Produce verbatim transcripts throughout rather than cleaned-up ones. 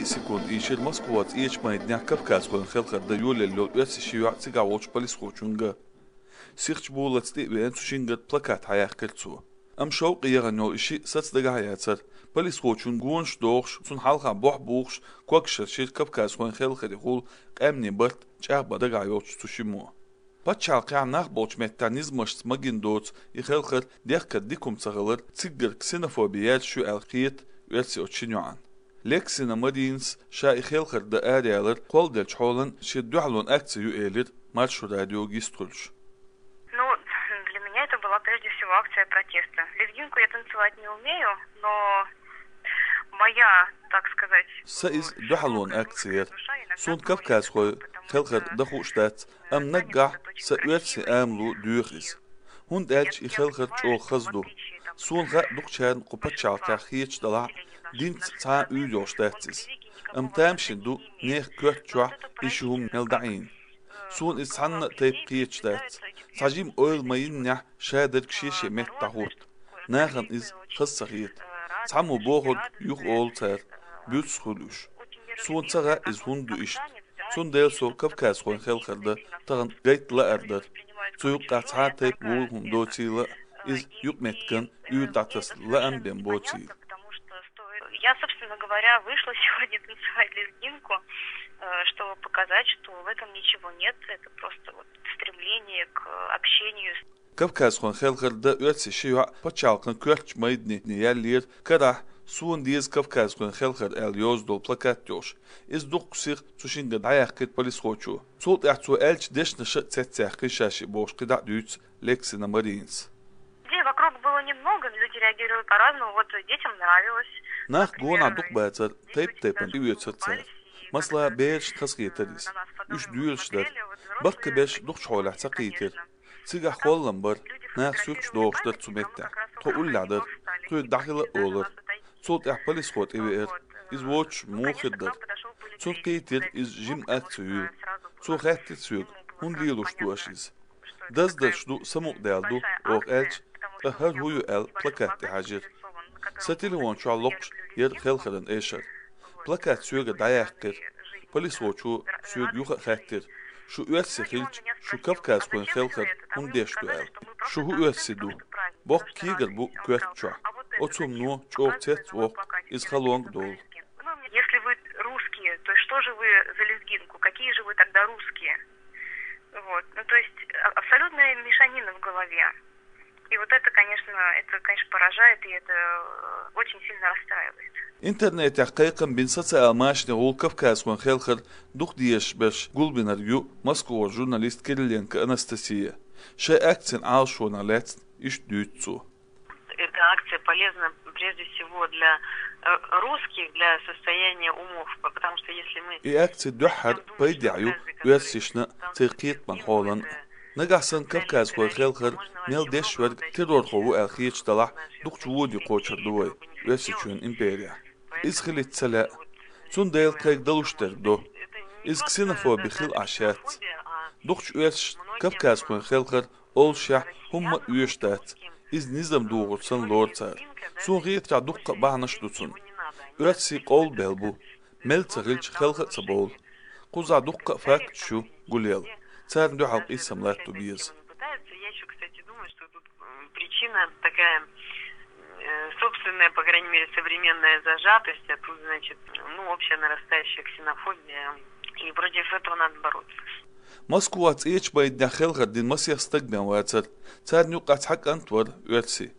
Секунд ийшира Москваца Ӏечу майданехь кавказхойн хелхар дан йолаелла йолу оьрсийн ши йоӀ цигахь волчу полисхочуьнга. Сихачу болаллица тӀе а веана, цу шингара плакат хьаяьккхира цо. Амма шовкъе яхана йолу и шиъ саца дагахь а яцара. Полисхочунна гонаш дохуш, цунна хьалха бохь бухуш, когашхошийра кавказхойн хелхарехула къаьмнийн барт чӀагӀбан дагахь йолчу цу шиммо. Пачхьалкхехь нах болчу меттехь низамашца магийна доцу и хелхар дехкар дика хӀума ца хилар, циггара ксенофоби яьржаш ю аьлла хета оьрсийн оцу шина йоӀана. Лексина Маринас ша и хелхар дан араяьлларан кхолладеллачу хьолан шен дуьхьалонан акци ю элира Маршо радиога йистхуьлуш. Ну, для меня это была прежде всего акция протеста. Лезгинку я танцевать не умею, но моя, так сказать, Сан иза дуьхьалонан акци яра. Суна кавказхойн хелхар дан хууш дац, амма наггахь сан оьрсийн амало доьху иза. ХӀунда аьлча и хелхар чӀогӀа хаза ду. Суна хаьа, дукхачарна кху пачхьалкхехь хеташ делахь а, динца цхьа а уьйр йолуш дац иза. Амма тамашийна ду нехан коьрта чохь и ши хӀума мел дӀаийна. Суна иза цхьанна а тайпа кхеташ дац. Цхьа жима ойла ма йиннехь, шадерг шен-шен метта дӀахӀутту. Нахана иза хаза ца хета. Цхьаммо бохург юха олу цара, буьрса хуьлу уьш. Суна ца хаьа, иза хӀунда ду иштта. Цундела со кавказхойн хелхар дан тахана гайта лаар дара. Цу юккъехь цхьа а тайпа вуй хӀума доцийла, иза юкъаметтиган уьйр дӀатасса лаам бен боцийла. Я, собственно говоря, вышла сегодня танцевать лезгинку, э, чтобы показать, что в этом ничего нет. Это просто вот стремление к общению с Кавказхойн хелхар дан оьрсийн ши йоӀ пачхьалкхан коьртачу майдане яьллера карахь «Суна деза кавказхойн хелхар» аьлла йоза долу плакат йолуш. Иза дуккха сиха цу шингара дӀаяьккхира полисхочо. Цул тӀаьхьа цо аьллачу дешнаша а цецъяьккхина ша шиъ бохуш кхидӀа а дуьйцу Лексина Маринас. Людей вокруг было немного, люди реагировали по-разному. Вот детям нравилось. Нах гонах дукха бацара, тайп-тайпана тӀеоьцура цара. Масала, берашна хазахетара иза. Уьш доьлуш дара. Баккхийберш дукхачу хьолехь ца кхийтира. Цигахь холлам бара, наха суьрташ дохуш дара цу меттехь. Тхо уллехь дара, тхоьга дӀахила а олура. Цул тӀаьхьа полисхо тӀевеара. Иза воцуш муха хир дара? Цунна кхийтира иза жима акци ю. Цо хаьттира соьга, хӀунда лелош ду аша иза? Даздарш ду, самукъадаьлла ду, оха аьлча, ткъа хӀара хӀун ю аьлла плакат тӀе хьаьжира. Сан телефон чохь локхуш яра хелхаран эшар. Плакат соьгара дӀаяьккхира. Полисхочо соьга юха а хаьттира: «Шу оьрси хилча, шу кавказхойн хелхар хӀунда деш ду?» — аьлла. «Шу хӀун оьрси ду? Боккха кегар бу коьрта чохь. Оцу хӀумано чӀогӀа цец а воккху, иза халонга а долу». Если вы русские, то что же вы за лезгинку? Какие же вы тогда русские? Вот. Ну, то есть а- абсолютная мешанина в голове. И вот это, конечно, это, конечно, поражает, и это э, очень сильно расстраивает. Интернетехь кхайкхам бина социал машанехула кавказхойн хелхар дукха дезаш берш гулбинарг ю Москвара журналист Кириленко Анастасия. Шайн акцин Ӏалашонах лаьцна иштта дуьйцу цо. Эта акция полезна прежде всего для э, русских, для состояния умов, потому что если мы И акци дуьххьара пайдехь ю оьрсашна, церан кхетаман хьолан. Нагахь санна кавказхойн хелхар мел деш верг террорхо ву аьлла хеташ далахь, дукхачу воде кхочур ду вай Оьрсийчоьнан имперехь. Иза хилийта ца лаьа. Цундела тхайга далуш дерг до. Иза ксенофоби хила Ӏаш яц. Дукхачу оьрсашна кавказхойн хелхар олушехь хӀумма а оьшуш дац. Иза низам духур санна лору цара. Суна хетарехь, дуккха а бахьанаш ду цунна. Оьрсийн къовлабелла бу. Мел ца хилча, хелха а ца бовлу. Кхузахь дуккха а факташ ю гулъелла. Царна дуьхьал къийсам латто беза. Пытаются. Я ещё, кстати, думаю, что тут м, причина такая э, собственная, по крайней мере, современная зажатость, а тут, значит, ну, общая нарастающая ксенофобия, и против этого надо бороться. Москваца Ӏечу майданехь хелхар дина масех стаг бен вацара. Царна юккъехь цхьа кӀант вара оьрси.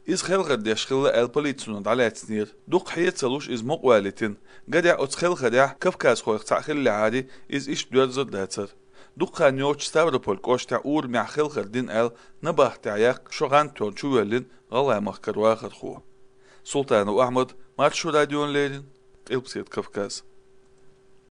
Иза хелхар деш хилла аьлла полицино дӀалаьцнера. Дукха хье а ца луш, иза мукъавалийтина. Гарехь, оцу хелхарехь кавказхойх цхьаъ хиллехьара, иза иштта доьрзур дацара. Дукха хан йоццуш Ставрополь кӀоштехь урамехь хелхар дина аьлла, набахтехь яккха шо гӀан тоьхна чувоьллина ГӀалгӀай махкара вахархо. Султанов Ахьмад, Маршо радиона леррина, Къилбаседа Кавказ.